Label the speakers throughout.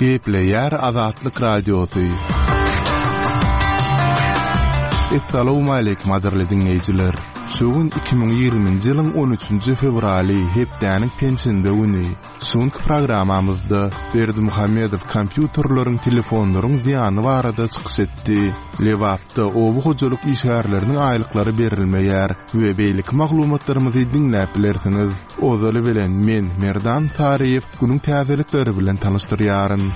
Speaker 1: Gepleýär Azatlyk Radiosy. Essalawmaleýkim gadyrly diňleýjiler! Şu gün 2020-nji ýylyň 13-nji fewraly, hepdäniň penşenbe güni. Şu günki programmamyzda Berdimuhamedow kompýuterleriň, telefonlaryň zyýany barada çykyş etdi. Lebapda oba hojalyk işgärleriniň aýlyklary berilmeýär we beýleki maglumatlarymyzy diňläp bilersiňiz. Ozaly bilen men, Merdan Saryýew, günüň täzelikleri bilen tanyşdyrýaryn.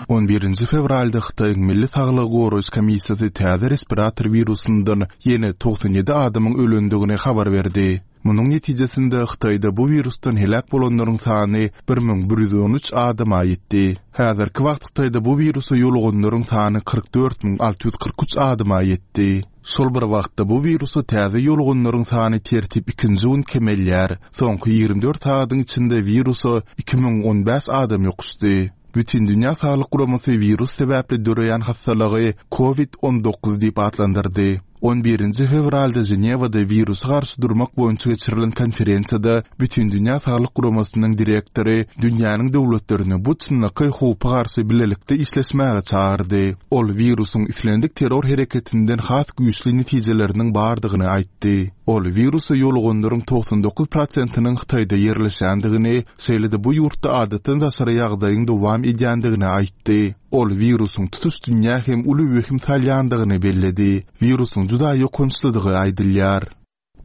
Speaker 1: On birinji fewralda Hytaýyň Milli saglygy goraýyş komissiýasy täze respirator wirusyndan ýene 97 adamyň ölendigini habar berdi. Munuň netijesinde Hytaýda bu wirusdan heläk bolanlaryň sany 1113 adama ýetdi. Häzirki wagt Hytaýda bu wirusa ýoluganlaryň sany 44 643 adama ýetdi. Şol bir wagtda bu wirusa täze ýoluganlaryň sany tertip ikinji gün kemelýär. Soňky 24 sagadyň içinde wirusa 2015 adam ýokuşdy. Bütindünýä Saglyk Guramasy wirus sebäpli döreýän hassalygy Covid 19 diýip atlandyrdy. On birinji fewralda Ženewada wirusa garşy durmak boýunça geçirilen konferensiýada Bütindünýä Saglyk Guramasynyň direktory dünýäniň döwletlerini bu çynlakaý howpa garşy bilelikde işleşmäge çagyrdy. Ol wirusyň islendik terror hereketinden has güýçli netijeleriniň bardygyny aýtdy. Ol wirusa ýoluganlaryň 99 prosentiniň Hytaýda ýerleşýändigini, şeýle-de bu ýurtda adatdan daşary ýagdaýyň dowam edýändigini aýtdy. Ol wirusyň tutuş dünýä hem uly wehim salýandygyny belledi. Wirusyň juda ýokançlydygy aýdylýar.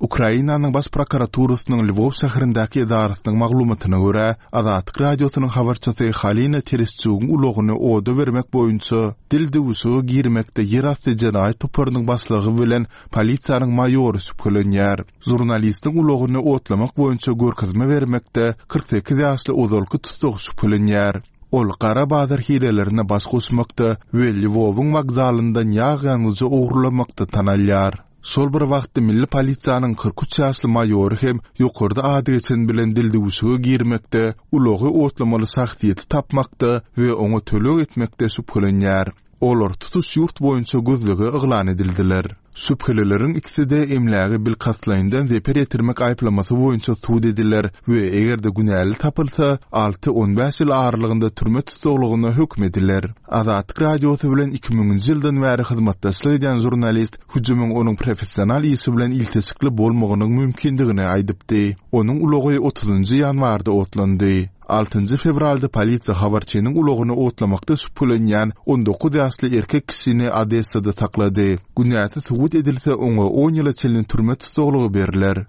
Speaker 1: Ukrainanyň Baş prokuraturasynyň Lwow şäherindäki edarasynyň maglumatyna görä, Azatlyk Radiosynyň habarçysy Halina Tereşçugyň ulagyny oda bermek boýunça dil döwüşige girmekde ýerasty jenaýat toparynyň başlygy bilen polisiýanyň maýory şübhelenýär. Žurnalistiň ulagyny otlamak boýunça görkezme bermekde 48 ýaşly ozalky tussag şübhelenýär. Ol gara bazar hilelerine baş goşmakda we Lwowyň wokzalyndan ýag ýangyjy ogurlamakda tanalýar. Şol bir wagtda milli polisiýanyň 43 ýaşly maýory hem ýokarda ady geçen bilen dildüwşüge girmekde, ulagy otlamaly şahsyýeti tapmakda we oňa töleg etmekde şübhelenýär. Olar tutuş ýurt boýunça gözlege yglan edildiler. Şübhelileriň ikisi-de emläge bilkastlaýyndan zeper ýetirmek aýyplamasy boýunça sud ediler we eger-de günäli tapylsa, alty-on bäş ýyl aralygynda türme tussaglygyna höküm ediler. Azatlyk Radiosy bilen iki müňünji ýyldan bäri hyzmatdaşlyk edýän žurnalist hüjümiň onuň professional işi bilen ilteşikli bolmagynyň mümkindigini aýdypdy. Onuň ulagy otuzynjy ýanwarda otlandy. Altynjy fewralda polisiýa habarçynyň ulagyny otlamakda şübhelenýän 19 ýaşly erkek kişini Odessada saklady. Günäsi subut edilse, oňa on ýyla çenli türme tussaglygy berler.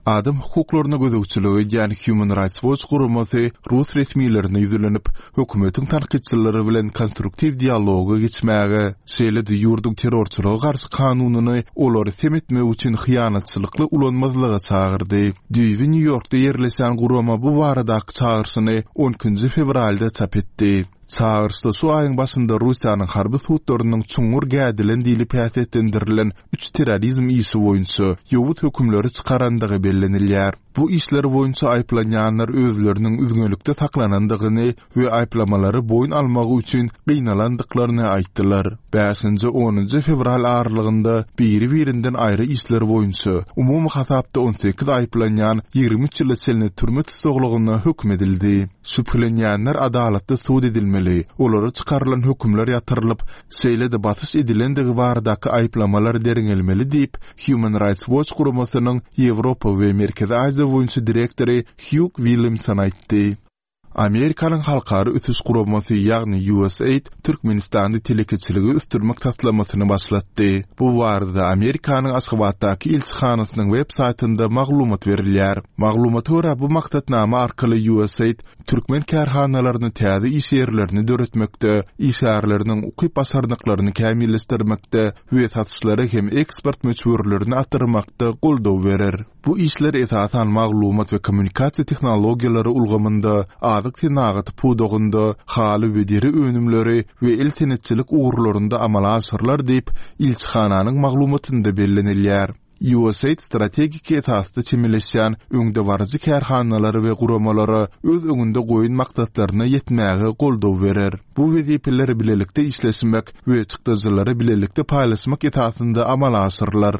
Speaker 1: Adam hukuklaryna gözegçilik edýän Human Rights Watch guramasy rus resmilerine ýüzlenip, hökümetiň tankytçylary bilen konstruktiw dialoga geçmäge, şeýle-de ýurduň terrorçylyga garşy kanunyny olary sem etmek üçin hyýanatçylykly ulanmazlyga çagyrdy. Düýbi Nýu-Ýorkda ýerleşýän gurama bu baradaky çagyryşyny on ikinji fewralda çap etdi. Çagyryşda şu aýyň başynda Russiýanyň harby sudlarynyň çuňňur gädilen diýlip häsiýetlendirilen üç terrorizm işi boýunça ýowuz hökümleri çykarandygy bellenilýär. Bu işler boýunça aýyplanýanlar özleriniň üzňelikde saklanandygyny we aýyplamalary boýun almagy üçin gynalandyklaryny aýtdylar. Bäşinji, onunjy fewral aralygynda biri-birinden aýry işler boýunça, umumy hasapda 18 aýyplanýan 23 ýyla çenli türme tussaglygyna höküm edildi. Şübhelenýänler adalatly sud edilmeli, olara çykarylan hökümler ýatyrylyp, şeýle-de basyş edilendigi baradaky aýyplamalar derňelmeli diýip, Human Rights Watch guramasynyň Ýewropa we Merkezi Aziýa boýunça direktory Hýug Williamson aýtdy. Amerikanyň Halkara ösüş guramasy, ýagny USAID Türkmenistanda telekeçiligi ösdürmek taslamasyny başlatdy. Bu barada Amerikanyň Aşgabatdaky ilçihanasynyň web saýtynda maglumat berilýär. Maglumata görä, bu maksatnama arkaly USAID türkmen kärhanalaryna täze iş ýerlerini döretmekde, işgärleriniň ukyp-başarnyklaryny kämilleşdirmekde we satyşlary hem eksport möçberlerini artdyrmakda goldaw berer. Bu işler esasan maglumat we kommunikasiýa tehnologiýalary ulgamynda, azyk senagaty pudagynda, haly we deri önümleri we el senetçilik ugurlarynda amala aşyrylar diýip, ilçihananyň maglumatynda bellenilýär. USAID strategik esasda çemeleşýän öňdebaryjy kärhanalara we guramalara öz öňünde goýan maksatlaryna ýetmäge goldaw berer. Bu wezipeler bilelikde işleşmek we çykdajylary bilelikde paýlaşmak esasynda amala aşyrylar.